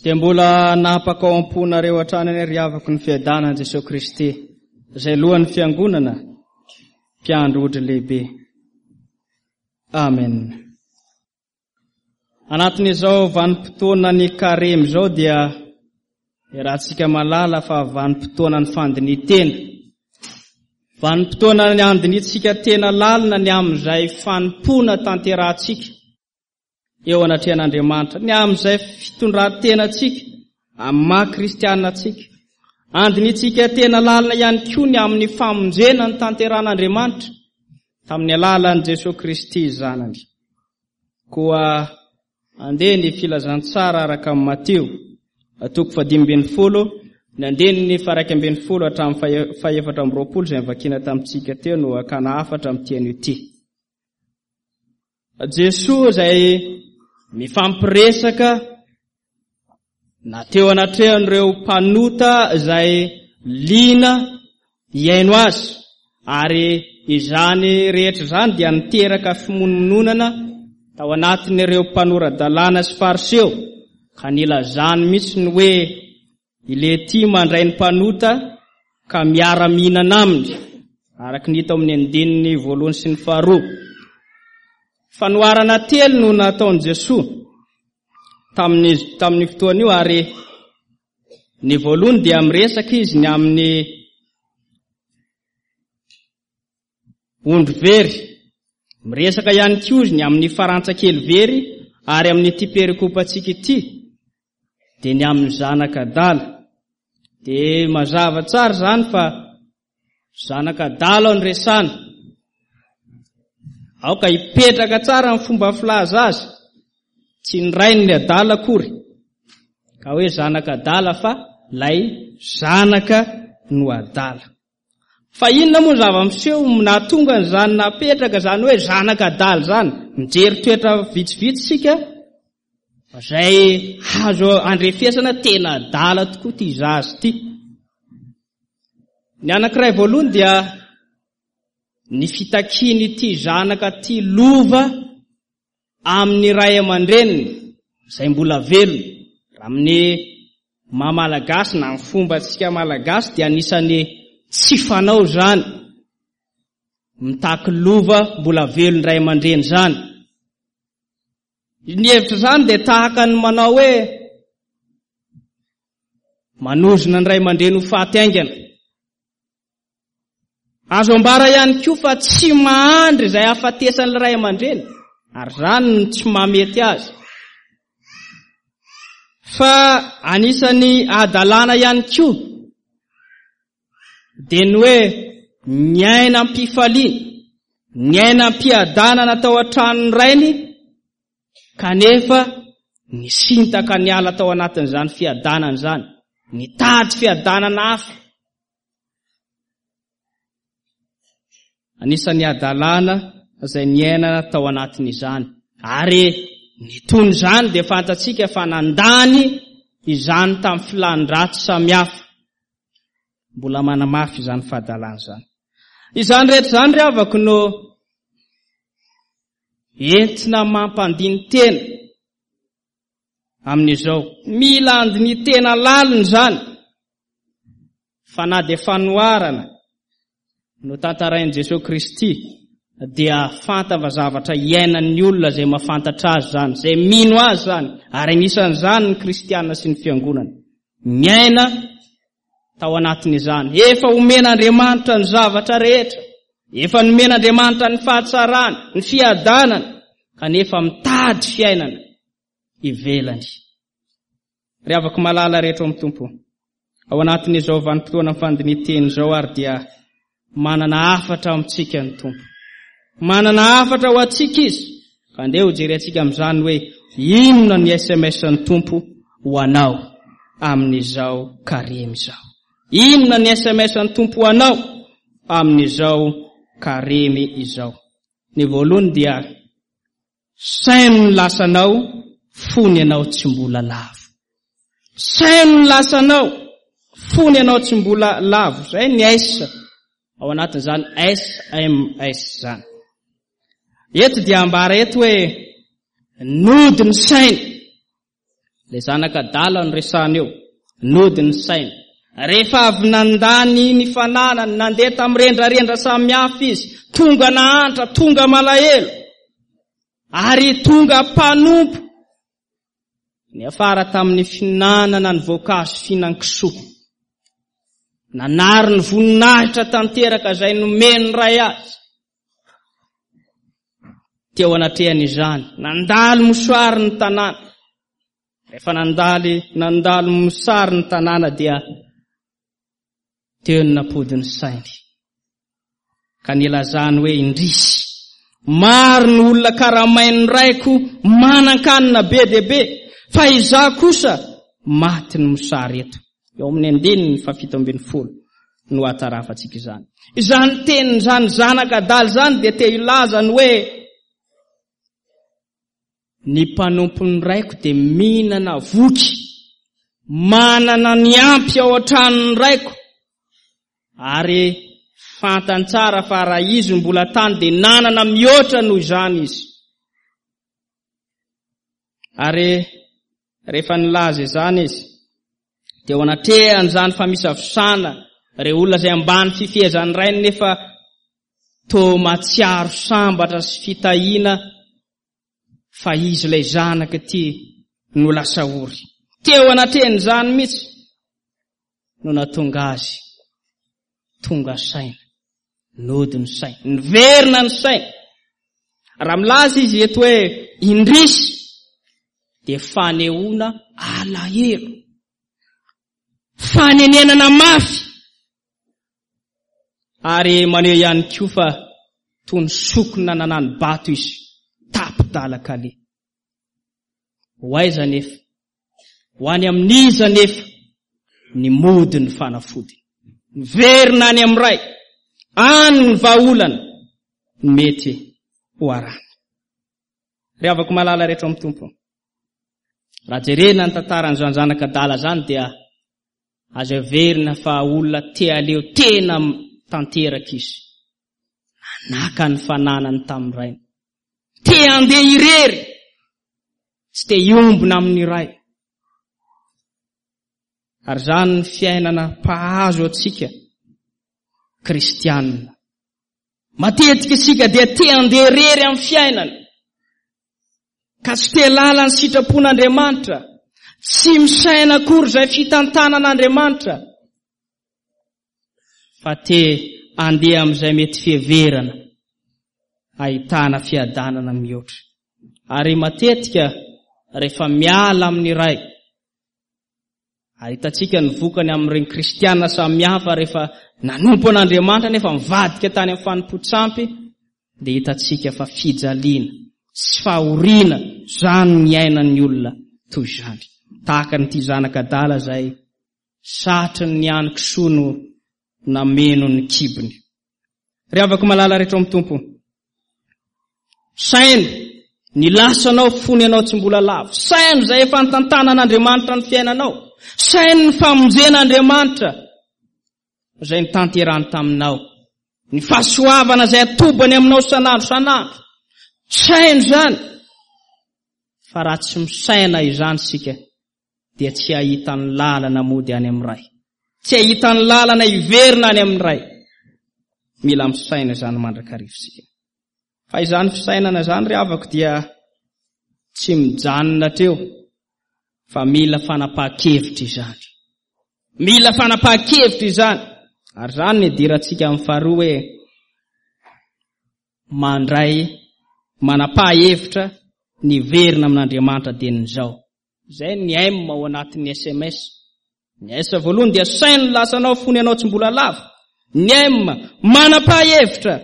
Dia mbola hanapaka ao am-ponareo hatrany anie ry havako ny fiadanan'i Jesoa Kristy, izay lohan'ny Fiangonana, mpiandry ondry lehibe. Amen. Anatin'izao vanim-potoanan'ny Karemy izao dia iarahantsika mahalala fa vanim-potoanan'ny fandinihan-tena. Vanim-potoanan'ny handinihantsika tena lalina ny amin'izay fanompoana tanterahantsika. eo anatrehan'Andriamanitra, ny amin'izay fitondran-tenantsika amin'ny maha kristiana antsika. Andinihintsika tena lalina ihany koa ny amin'ny famonjena ny tanteran'Andriamanitra tamin'ny alalan'i Jesoa Kristy Zanany. Koa andeha ny filazantsara araka amin'i Matio, toko fahadimy ambin'ny folo, ny andininy faha-11 hatramin'ny faha-24 izay novakiana tamintsika teo no hakana hafatra amin'ity anio ity. Jesoa izay mifampiresaka na teo anatrehan'ireo mpanota izay liana hihaino azy, ary izany rehetra izany dia niteraka fimonomononana tao anatin'ireo mpanora-dalàna sy Fariseo, ka nilazany mihitsy ny hoe I Lehtia mandray ny mpanota ka miara-mihinana aminy, araka ny hita ao amin'ny andininy voalohany sy ny faharoa. Fanoharana telo no nataon'i Jesoa tamin'ny tamin'ny fotoana io ary ny voalohany dia miresaka izy ny amin'ny ondry very. Miresaka ihany koa izy ny amin'ny farantsa kely very ary amin'ity perikopantsika ity dia ny amin'ny zanaka adala. Dia mazava tsara izany fa zanaka adala no resana. Aoka hipetraka tsara ny fomba filaza azy. Tsy ny rainy ny adala akory. Ka hoe zanaka adala fa lay zanaka no adala. Fa inona moa ny zava-miseho nahatonga an'izany napetraka izany hoe zanaka adala izany? Mijery toetra vitsivitsy isika fa izay azo andrefesana tena adala tokoa ity zaza ity. Ny anankiray voalohany dia ny fitakian'ity zanaka ity lova amin'ny ray aman-dreniny izay mbola velona. Raha amin'ny maha Malagasy na ny fombantsika Malagasy dia anisan'ny tsy fanao izany mitaky lova mbola velon'ny ray aman-dreny izany. Ny hevitra izany dia tahaka ny manao hoe manozona ny ray aman-dreny ho faty haingana. Azo ambara ihany koa fa tsy mahandry izay hahafatesan'ny ray aman-dreny, ary izany no tsy mahamety azy. Fa anisan'ny hadalana ihany koa dia ny hoe niaina am-pifaliana, niaina am-piadanana tao an-tranon'ny rainy, kanefa nisintaka niala tao anatin'izany fiadanana izany, nitady fiadanana hafa. Anisan'ny hadalana izay niainana tao anatin'izany. Ary ny ton'izany dia fantatsika fa nandany izany tamin'ny filàn-dratsy samihafa. Mbola manamafy izany fahadalana izany. Izany rehetra izany ry havako no entina mampandini-tena amin'izao. Mila andini-tena lalina izany. Fa na dia fanoharana no tantarain'i Jesoa Kristy dia fantany fa zavatra iainan'ny olona izay mahafantatra Azy izany, izay mino Azy izany, ary anisan'izany ny kristiana sy ny fiangonana. Miaina tao anatin'izany. Efa omen'Andriamanitra ny zavatra rehetra. Efa nomen'Andriamanitra ny fahatsarana, ny fiadanana, kanefa mitady fiainana ivelany. Ry havako malala rehetra ao amin'ny Tompo, ao anatin'izao vanim-potoana fandinihan-teny izao ary dia manana hafatra amintsika ny Tompo. Manana hafatra ho antsika Izy, ka andeha ho jerentsika amin'izany hoe inona ny SMS ny Tompo ho anao amin'izao karemy izao. Inona ny SMS ny Tompo ho anao amin'izao karemy izao. Ny voalohany dia Saino ny lasanao fony ianao tsy mbola lavo. Saino ny lasanao fony ianao tsy mbola lavo. Izay ny S ao anatin'izany SMS izany. Eto dia ambara eto hoe nody ny saina. Ilay zanaka adala no resahana eo. Nody ny sainy. Rehefa avy nandany ny fananany, nandeha tamin'ny rendrarendra samihafa izy, tonga nahantra, tonga malahelo, ary tonga mpanompo. Niafara tamin'ny fihinanana ny voankazo fihinan-kisoa. Nanary ny voninahitra tanteraka izay nomen'ny Ray azy. Teo anatrehan'izany, nandalo mosary ny tanàna. Rehefa nandaly nandalo mosary ny tanàna dia teo no nampody ny sainy. Ka nilazany hoe indrisy, maro ny olona karamain'ny raiko manan-kanina be dia be, fa izaho kosa maty ny mosary eto. Eo amin'ny andininy fahafito ambin'ny folo no ahatarafantsika izany. Izany tenin'izany zanaka adala izany dia te hilaza ny hoe ny mpanompon'ny raiko dia mihinana voky, manana ny ampy ao an-tranon'ny raiko, ary fantany tsara fa raha izy mbola tany dia nanana mihoatra noho izany izy. Ary rehefa nilaza izany izy, dia eo anatrehan'izany famisavosana ireo olona izay ambany fifehezan'ny rainy nefa toa mahatsiaro sambatra sy fitahiana fa izy ilay zanaka ity no lasa ory. Teo anatrehan'izany mihitsy no nahatonga azy tonga saina, nody ny saina, niverina ny saina. Raha milaza izy eto hoe indrisy dia fanehoana alahelo, fanenenana mafy ary maneho ihany koa fa toy ny sokina nanano-bato izy, tapi-dalan-kaleha. Ho aiza anefa? Ho any amin'iza anefa ny mody ny fanafody? Miverina any amin'ny Ray. Any ny vahaolana mety ho arahana. Ry havako malala rehetra ao amin'ny Tompo, raha jerena ny tantaran'izany zanak'adala izany dia azo heverina fa olona te haleo tena tanteraka izy. Nanaka ny fananany tamin'ny rainy. Te handeha irery, tsy te hiombona amin'ny Ray. Ary izany ny fiainana mpahazo antsika kristianina. Matetika isika dia te handeha irery amin'ny fiainana, ka tsy te lala ny sitrapon'Andriamanitra, tsy misaina akory izay fitantanan'Andriamanitra, fa te handeha amin'izay mety fiheverana ahitana fiadanana mihoatra. Ary matetika rehefa miala amin'ny Ray, ary hitantsika ny vokany amin'ireny kristiana samihafa rehefa nanompo an'Andriamanitra nefa mivadika tany amin'ny fanompoan-tsampy, dia hitantsika fa fijaliana sy fahoriana izany ny iainan'ny olona toy izany. Tahaka an'ity zanak'adala izay Satrin'ny ny kisoa no nameno ny kibony. Ry havako malala rehetra ao amin'ny Tompo, saino ny lasanao fony ianao tsy mbola lavo. Saino izay efa nitantanan'Andriamanitra ny fiainanao. Saino ny famonjen'Andriamanitra izay nitanterany taminao. Ny fahasoavana izay atobany aminao sanandro sanandro. Saino izany. Fa raha tsy misaina izany isika, dia tsy hahita ny lalana mody any amin'ny Ray. Tsy hahita ny lalana hiverina any amin'ny Ray. Mila misaina izany mandrakariva isika. Fa izany fisainana izany ry havako dia tsy mijanona hatreo fa mila fanapahan-kevitra izany. Mila fanapahan-kevitra izany. Ary izany ny idirantsika amin'ny faharoa hoe mandray manapaha-hevitra ny hiverina amin'Andriamanitra dien'izao. Izay ny M ao anatin'ny sms. Ny S voalohany dia saino ny lasanao fony ianao tsy mbola lavo. Ny M, manapaha hevitra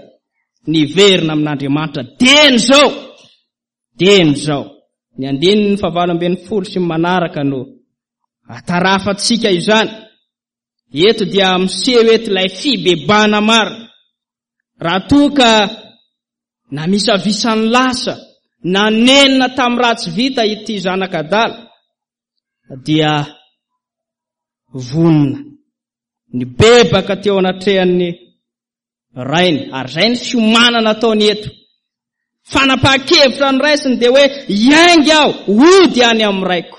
ny hiverina amin'Andriamanitra dieny izao. Dieny izao. Ny andininy fahavalo ambin'ny folo sy ny manaraka no atarafantsika izany. Eto dia miseho eto ilay fibebahana marina. Raha toa ka namisavisa ny lasa, nanenina tamin'ny ratsy vita ity zanak'adala, dia vonona nibebaka teo anatrehan'ny rainy. Ary izay ny fiomanana ataony eto. Fanapahan-kevitra noraisiny dia hoe hiainga aho, hody any amin'ny raiko.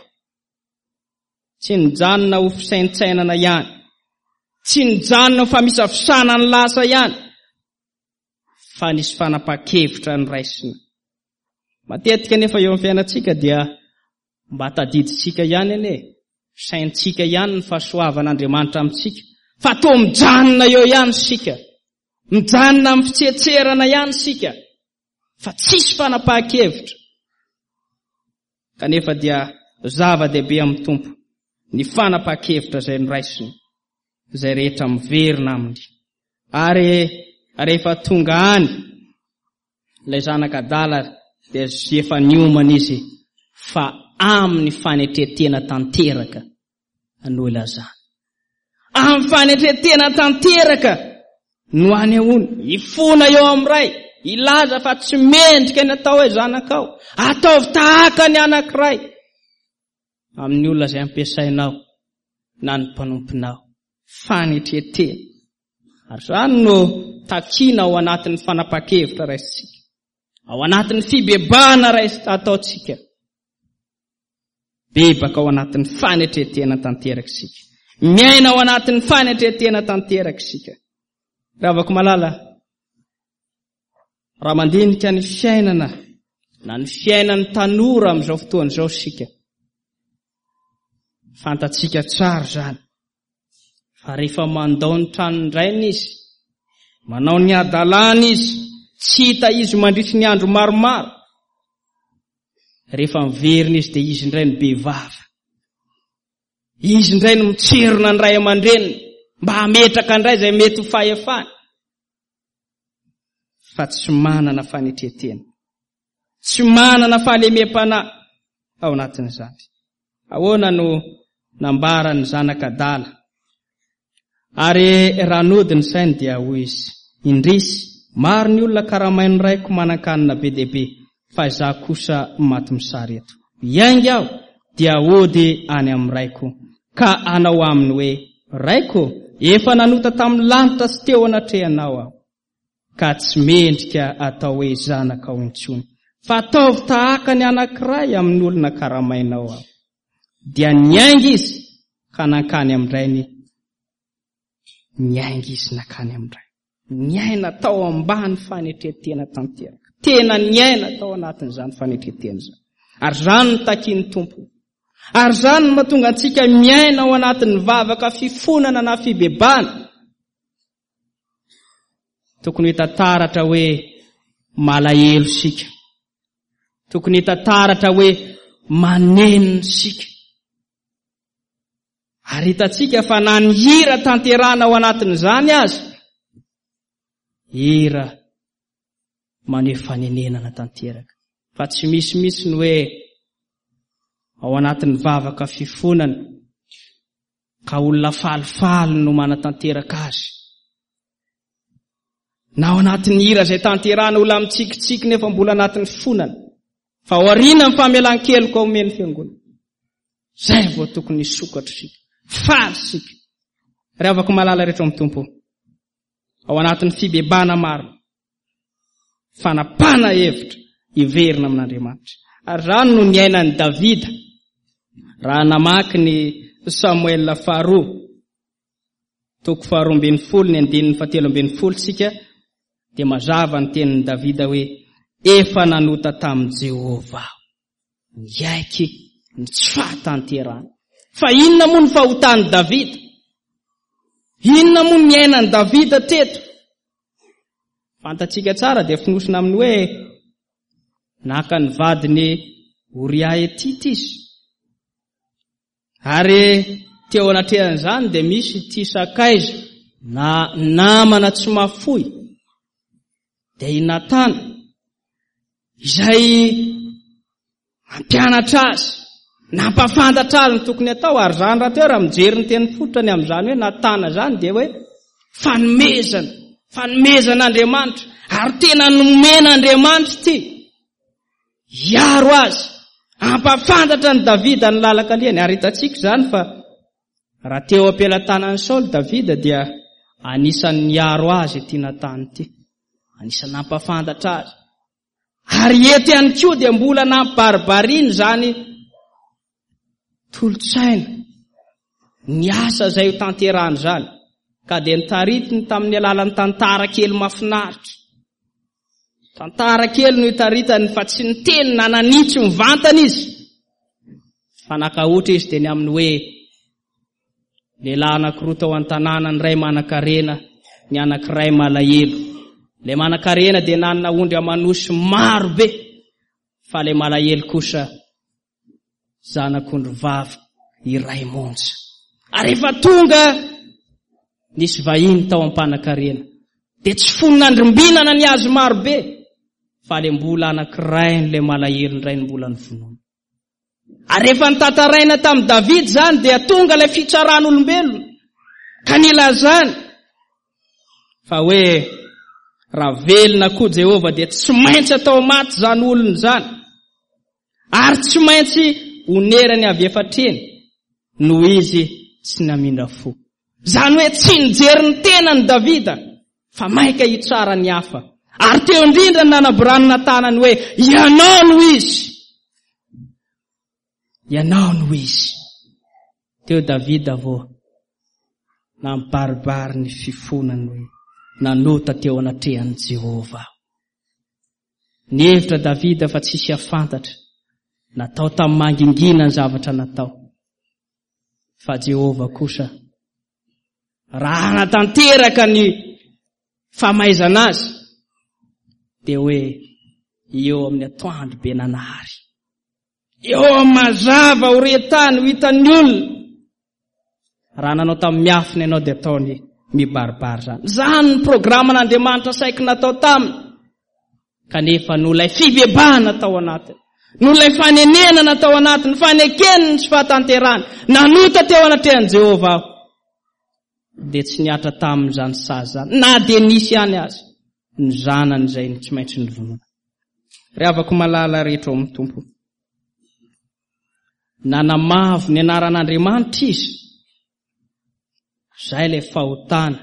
Tsy nijanona ho fisaintsainana ihany. Tsy nijanona ho famisafisana ny lasa ihany. Fa nisy fanapahan-kevitra noraisina. Matetika anefa eo amin'ny fiainantsika dia mba tadidintsika ihany anie, saintsika ihany ny fahasoavan'Andriamanitra amintsika, fa toa mijanona eo ihany isika. Mijanona amin'ny fitsetserana ihany isika, fa tsisy fanapahan-kevitra. Kanefa dia zava-dehibe amin'ny Tompo ny fanapahan-kevitra izay noraisiny, izay rehetra miverina aminy. Ary rehefa tonga any ilay zanak'adala dia efa niomana izy fa amin'ny fanetren-tena tanteraka no ilazana. Amin'ny fanetren-tena tanteraka no anehoany, hifona eo amin'ny Ray, hilaza fa tsy mendrika ny atao hoe zanakao. Ataovy tahaka ny anankiray amin'ny olona izay ampiasainao na ny mpanomponao. Fanetren-tena. Ary izany no takiana ao anatin'ny fanapahan-kevitra raisintsika, ao anatin'ny fibebahana rais ataontsika. Bebaka ao anatin'ny fanetren-tena tanteraka isika. Miaina ao anatin'ny fanetren-tena tanteraka isika. Ravako malala, raha mandinika ny fiainana na ny fiainan'ny tanora amin'izao fotoana izao isika, fantatsika tsara izany fa rehefa mandao ny tranon-drainy izy, manao ny hadalany izy, tsy hita izy mandritry ny andro maromaro, Rehefa miverina izy dia izy indray no be vava. Izy indray no mitserona ny ray aman-dreniny mba hametraka indray izay mety ho fahefany. Fa tsy manana fanetren-tena. Tsy manana fahalemem-panahy ao anatin'izany. Ahoana no nambaran'ny zanak'adala? Ary raha nody ny sainy dia hoy izy, Indrisy, maro ny olona karamain'ny raiko manan-kanina be dia be, fa izaho kosa maty mosary eto. Hiainga aho, dia hody any amin'ny raiko, ka hanao aminy hoe, Raiko ô, efa nanota tamin'ny lanitra sy teo anatrehanao aho. ka tsy mendrika atao hoe zanakao intsony, fa ataovy tahaka ny anankiray amin'ny olona karamainao aho. Dia niainga izy ka nankany amin-drainy, niainga izy nankany amin-drainy. Niaina tao ambany fanetren-tena tanteraka. Tena niaina tao anatin'izany fanetren-tena izany. Ary izany no takian'ny Tompo. Ary izany no mahatonga antsika miaina ao anatin'ny vavaka fifonana na fibebahana. Tokony hita taratra hoe malahelo isika. Tokony hita taratra hoe manenina isika. Ary hitantsika fa na ny hira tanterahana ao anatin'izany aza, hira maneho fanenenana tanteraka. Fa tsy misy mihitsy ny hoe ao anatin'ny vavaka fifonana ka olona falifaly no manatanteraka azy. Na ao anatin'ny hira izay tanterahana olona mitsikitsiky nefa mbola anatin'ny fonana. Fa aoriana ny famelan-keloka omen'ny fiangonana. Izay vao tokony hisokatra isika. Faly isika. Ry havako malala rehetra ao amin'ny Tompo. Ao anatin'ny fibebahana marina. Fanapahana hevitra hiverina amin'Andriamanitra. Ary izany no niainan'i Davida raha namaky ny Samoela faharoa, toko faharoa ambin'ny folo, ny andininy fahatelo ambin'ny folo isika, dia mazava ny tenin'i Davida hoe, Efa nanota tamin'i Jehovah aho. Niaiky ny tsy fahatanterahany. Fa inona moa ny fahotan'i Davida? Inona moa ny niainan'i Davida teto? Fantatsika tsara dia fonosina amin'ny hoe naka ny vadiny Oria Hetita izy. Ary teo anatrehan'izany dia misy ity sakaiza na namana tsy mahafoy dia i Natana izay Nampianatra azy, nampafantatra azy ny tokony hatao, ary izany rahateo raha mijery ny teny fototra ny amin'izany hoe Natana izany dia hoe fanomezana, fanomezan'Andriamanitra, ary tena nomen'Andriamanitra ity hiaro azy, hampafantatra an'i Davida ny lalan-kalehany, ary hitantsika izany fa raha teo am-pelatanan'i Saoly Davida dia anisan'ny niaro azy ity Natana ity, anisan'ny nampafantatra azy. Ary eto ihany koa dia mbola nampibaribariana izany tolo-tsaina. Ny asa izay ho tanterahana izany, ka dia notaritiny tamin'ny alalan'ny tantara kely mahafinaritra. Tantara kely no itaritany fa tsy niteny na nanitsy mivantana izy. Fa naka ohatra izy dia ny amin'ny hoe lehilahy anankiroa tao an-tanàna, ny iray manan-karena, ny anankiray malahelo. Ilay manan-karena dia nanana ondry aman'osy maro be, fa ilay malahelo kosa zanak'ondry vavy iray monja. Ary efa tonga nisy vahiny tao am-panakarena, dia tsy fony nandrimbinana ny azy maro be, fa ilay mbola anankiray n'ilay malahelo indray no mbola novonoina. Ary rehefa notantaraina tamin'i Davida izany, dia tonga ilay fitsaran'olombelona, ka nilazany fa hoe raha velona koa Jehovah dia tsy maintsy atao maty izany olona izany. Ary tsy maintsy onerany avy efatreny noho izy tsy namindra fo. Izany hoe tsy nijery ny tenany Davida fa maika hitsara ny hafa. Ary teo indrindra ny nanaborany Natana ny hoe ianao no izy. Ianao no izy. Teo Davida vao nampibaribary ny fifonany hoe nanota teo anatrehan'i Jehovah aho. Nihevitra Davida fa tsy hisy hahafantatra. Natao tamin'ny mangingina ny zavatra natao. Fa Jehovah kosa, raha hanatanteraka ny famaizana azy, dia hoe eo amin'ny atoandro be nanahary. Eo amin'ny mazava ho re tany, ho hitan'ny olona. Raha nanao tamin'ny miafina ianao dia ataony mibaribary izany. Izany ny programan'Andriamanitra saiky natao taminy. Kanefa noho ilay fibebahana tao anatiny, noho ilay fanenenana tao anatiny, fanekeny ny tsy fahatanterahany, nanota teo anatrehan'i Jehovah aho. Dia tsy nihatra taminy izany sazy izany, na dia nisy ihany aza ny zanany izay tsy maintsy novonoina. Ry havako malala rehetra ao amin'ny Tompo. Nanamavo ny anaran'Andriamanitra izy. Izay ilay fahotana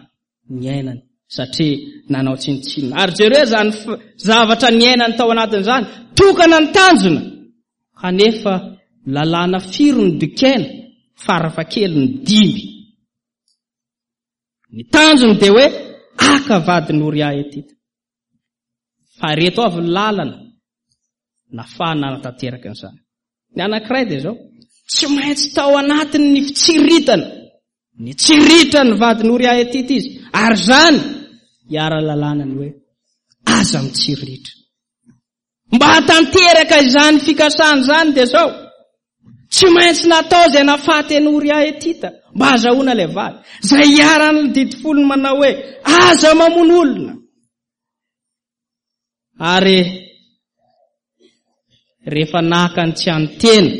niainany satria nanao tsinontsinona. Ary jereo izany zavatra niainany tao anatin'izany. Tokana ny tanjona. Kanefa lalàna firy no dikaina? Farafahakeliny dimy. Ny tanjony dia hoe aka vadin'i Oria Hetita. Fa ireto avy ny lalana nafahana nanatanteraka an'izany. Ny anankiray dia izao, tsy maintsy tao anatin'ny fitsiritana, nitsiritra ny vadin'i Oria Hetita izy, ary izany hiara-lalàna ny hoe aza mitsiritra. Mba hahatanteraka izany fikasana izany dia izao, tsy maintsy natao izay nahafaty an'i Oria Hetita mba hahazahoana ilay vady, izay iharan'ny didy folony manao hoe aza mamono olona. Ary rehefa naka ny tsy an'ny tena,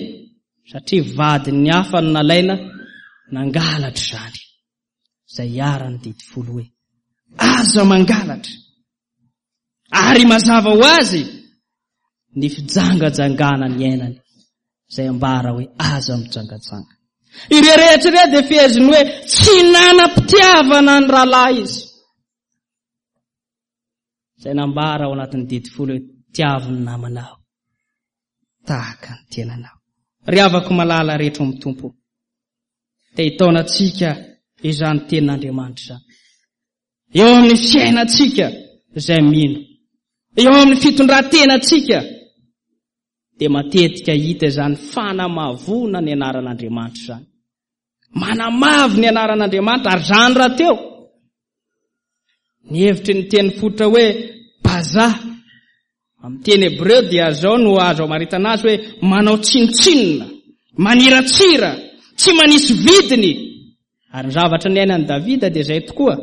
satria vadin'ny hafa no nalaina, nangalatra izany, izay iharan'ny didy folo hoe aza mangalatra. Ary mazava ho azy ny fijangajangana niainany izay ambara hoe aza mijangajanga. Ireo rehetra ireo dia feheziny hoe tsy nanam-pitiavana ny rahalahy izy. Izay nambara ao anatin'ny didy folo hoe tiavo ny namanao tahaka ny tenanao. Ry havako malala rehetra ao amin'ny Tompo, te hitaona antsika izany tenin'Andriamanitra izany. Eo amin'ny fiainantsika izay mino, eo amin'ny fitondran-tenantsika, dia matetika hita izany fanamavoana ny anaran'Andriamanitra izany. Manamavo ny anaran'Andriamanitra, ary izany rahateo. Ny hevitry ny teny fototra hoe baza amin'ny teny hebreo dia izao no azo amaritana azy hoe manao tsinontsinona, maniratsira, tsy manisy vidiny. Ary ny zavatra niainan'i Davida dia izay tokoa,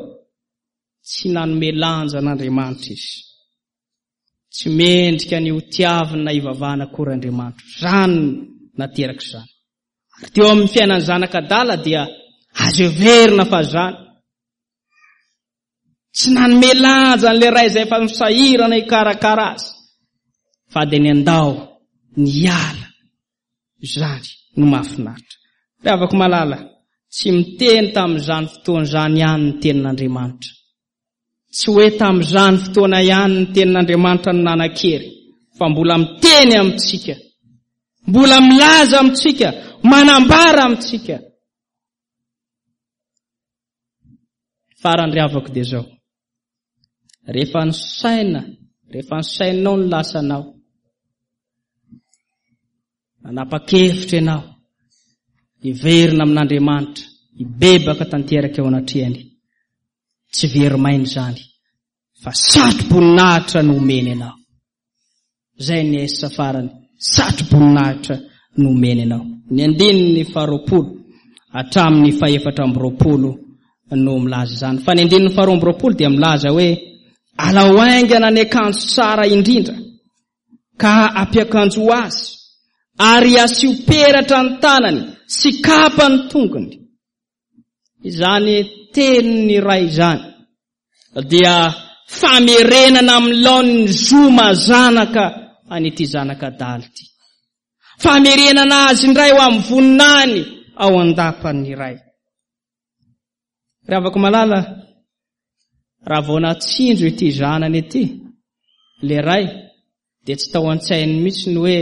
tsy nanome lanja an'Andriamanitra izy. Tsy mendrika ny ho tiavina na hivavahana akory Andriamanitra. Izany no nateraka izany. Ary teo amin'ny fiainan'ny zanak'adala dia azo heverina fa izany. Tsy nanome lanja an'ilay ray izay efa nisahirana hikarakara azy, fa dia niandao niala. Izany no mahafinaritra. Ry havako malala, tsy miteny tamin'izany fotoana izany ihany ny tenin'Andriamanitra. Tsy hoe tamin'izany fotoana ihany ny tenin'Andriamanitra no nanan-kery, fa mbola miteny amintsika, mbola milaza amintsika, manambara amintsika. Farany ry havako dia izao. Rehefa nisaina, rehefa nisainao ny lasanao, nanapa-kevitra ianao hiverina amin'Andriamanitra, hibebaka tanteraka eo anatrehany. Tsy very maina izany, fa satro-boninahitra no omeny anao. Izay ny S farany, satro-boninahitra no omeny anao. Ny andininy faharoapolo hatramin'ny fahefatra amby roapolo no milaza izany. Fa ny andininy faharoa amby roapolo dia milaza hoe alao haingana ny akanjo tsara indrindra ka ampiakanjo azy ary asio peratra ny tanany sy kapa ny tongony. Izany tenin'ny Ray izany dia famerenana amin'ny laoniny zo maha zanaka an'ity zanaka adala ity. Famerenana azy indray ho amin'ny voninahiny ao an-dapan'ny Ray. Ry havako malala, raha vao natsinjo ity zanany ity, ilay Ray, dia tsy tao an-tsainy mihitsy ny hoe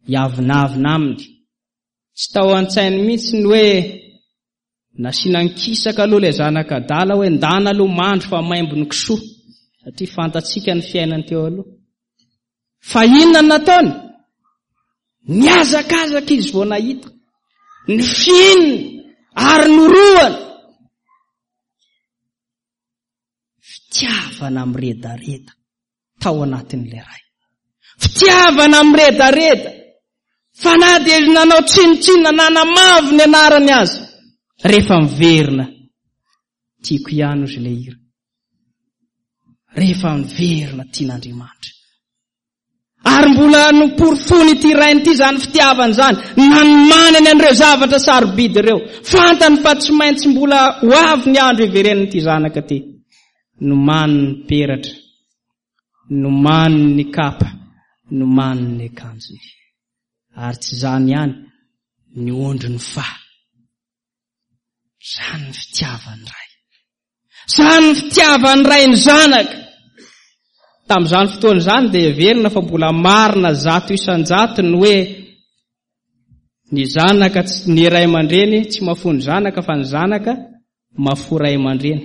hiavonavona aminy. Tsy tao an-tsainy mihitsy ny hoe nasiana ankisaka aloha ilay zanaka adala hoe ndana aloha mandry fa maimbo ny kisoa satria fantatsika ny fiainany teo aloha. Fa inona no nataony? Nihazakazaka izy vao nahita. Nifinina ary norohana. Fitiavana miredareda. tao anatin'ilay ray. Fitiavana miredareda fa na dia nanao tsinontsinona nanamavo ny anarany aza rehefa miverina tiako ihany ozy ilay hira. Rehefa miverina tian'Andriamanitra. Ary mbola noporofoiny ity rainy ity izany fitiavana izany, nanomanany an'ireo zavatra sarobidy ireo. Fantany fa tsy maintsy mbola ho avy ny andro hiverenan'ity zanaka ity. Nomaniny ny peratra, nomaniny ny kapa, nomaniny ny akanjony. Ary tsy izany ihany, ny ondriny fa. Izany ny fitiavan'ny Ray. Izany ny fitiavan'ny Ray ny Zanaka. Tamin'izany fotoana izany dia heverina fa mbola marina 100% ny hoe ny zanaka ny ray aman-dreny tsy mahafoy ny zanaka fa ny zanaka mahafoy ray aman-dreny.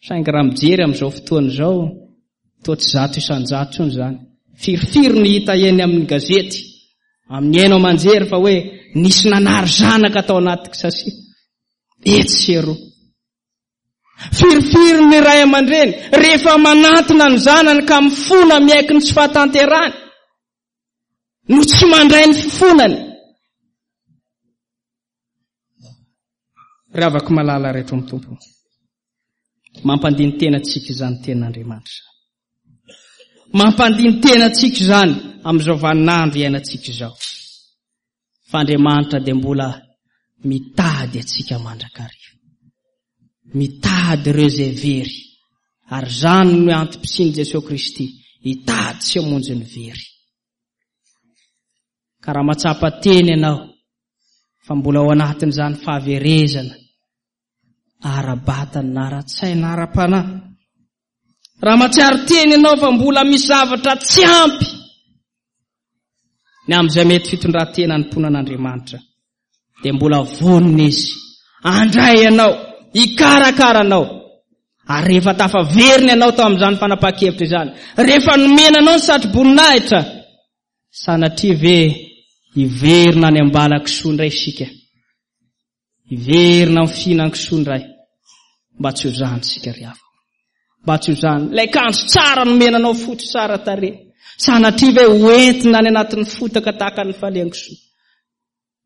Saingy raha mijery amin'izao fotoana izao, toa tsy 100% intsony izany. Firifiry no hita eny amin'ny gazety, amin'ny haino aman-jery fa hoe nisy nanary zanaka tao anaty kisasia. Etsy sy eroa. Firifiry ny ray aman-dreny rehefa manantona ny zanany ka mifona miaiky ny tsy fahatanterahany no tsy mandray ny fifonany. Ry havako malala rehetra ao amin'ny Tompo, mampandini-tena antsika izany tenin'Andriamanitra izany. Mampandini-tena antsika izany amin'izao vaninandro iainantsika izao. Fa Andriamanitra dia mbola mitady antsika mandrakariva. Mitady ireo izay very. Ary izany no antom-pisian'i Jesoa Kristy, hitady sy hamonjy ny very. Ka raha mahatsapa tena ianao fa mbola ao anatin'izany fahaverezana ara-batana na ara-tsaina, ara-panahy, raha mahatsiaro tena ianao fa mbola misy zavatra tsy ampy ny amin'izay mety fitondran-tena hanompoana an'Andriamanitra, dia mbola vonona Izy handray anao, hikarakara anao. Ary rehefa tafaverina ianao tao amin'izany fanapahan-kevitra izany, rehefa nomena anao ny satroboninahitra, Sanatria ve hiverina any am-bala-kisoa indray isika? Hiverina amin'ny fihinan-kisoa indray? Mba tsy ho izany isika ry havana. Mba tsy ho izany. Ilay kanjo tsara nomena anao fotsy tsara tarehy. Sanatria ve ho entina any anatin'ny fotaka tahaka ny falehan-kisoa?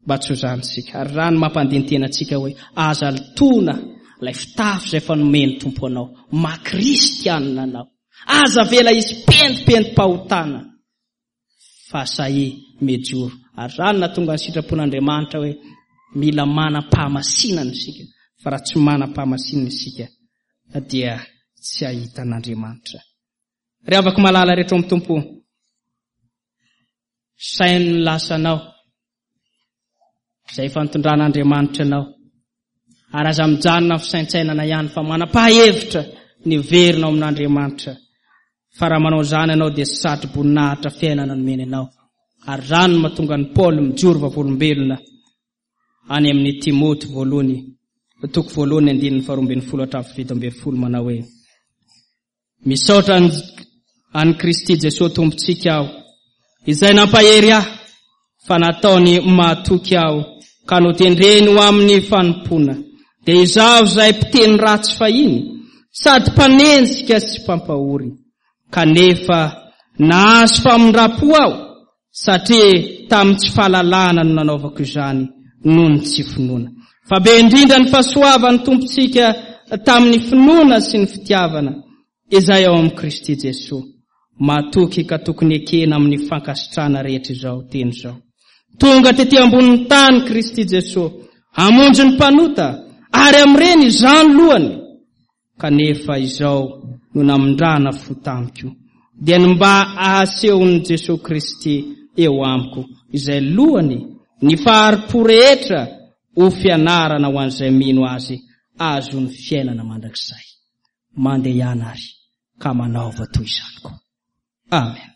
Mba tsy ho izany isika. Ary raha ny mampandini-tena antsika hoe aza lotoina ilay fitafy izay efa nomen'ny Tompo anao, maha kristianina anao. Aza avela hisy pentimpentim-pahotana fa sahia mijoro. Ary izany nahatonga ny sitrapon'Andriamanitra hoe mila manam-pahamasinana isika, fa raha tsy manam-pahamasinana isika dia tsy hahita an'Andriamanitra. Ry havako malala rehetra ao amin'ny Tompo, saino ny lasanao izay efa nitondran'Andriamanitra anao. Ary aza mijanona amin'ny fisaintsainana ihany fa manam-pahevitra ny hiverina ao amin'Andriamanitra. Fa raha manao izany ianao dia satro-boninahitra fiainana nomeny anao. Ary izany no mahatonga an'i Paoly mijoro vavolombelona any amin'i Timoty voalohany. toko voalohany andininy faharoa ambin'ny folo hatramin'ny fahafito ambin'ny folo manao hoe Misaotra an'i Kristy Jesoa Tompontsika aho, izay nampahery ahy fa nataony mahatoky aho ka notendreny ho amin'ny fanompoana, dia izaho izay mpiteny ratsy fahiny sady mpanenjika sy mpampahory, kanefa nahazo famindram-po aho satria tamin'ny tsy fahalalana no nanaovako izany noho ny tsy finoana. Fa be indrindra ny fahasoavan'ny Tompontsika tamin'ny finoana sy ny fitiavana izay ao amin'i Kristy Jesoa. Matoky ka tokony ekena amin'ny fankasitrahana rehetra izao teny izao. Tonga tety ambonin'ny tany Kristy Jesoa hamonjy ny mpanota ary amin'ireny izaho no lohany. Kanefa izao no namindrana fo tamiko, dia ny mba ahasehon'i Jesoa Kristy eo amiko, izay lohany, ny fahari-po rehetra ho fianarana ho an'izay mino Azy ahazoany fiainana mandrakizay. Mandehana àry ka manaova toy izany koa. Amen.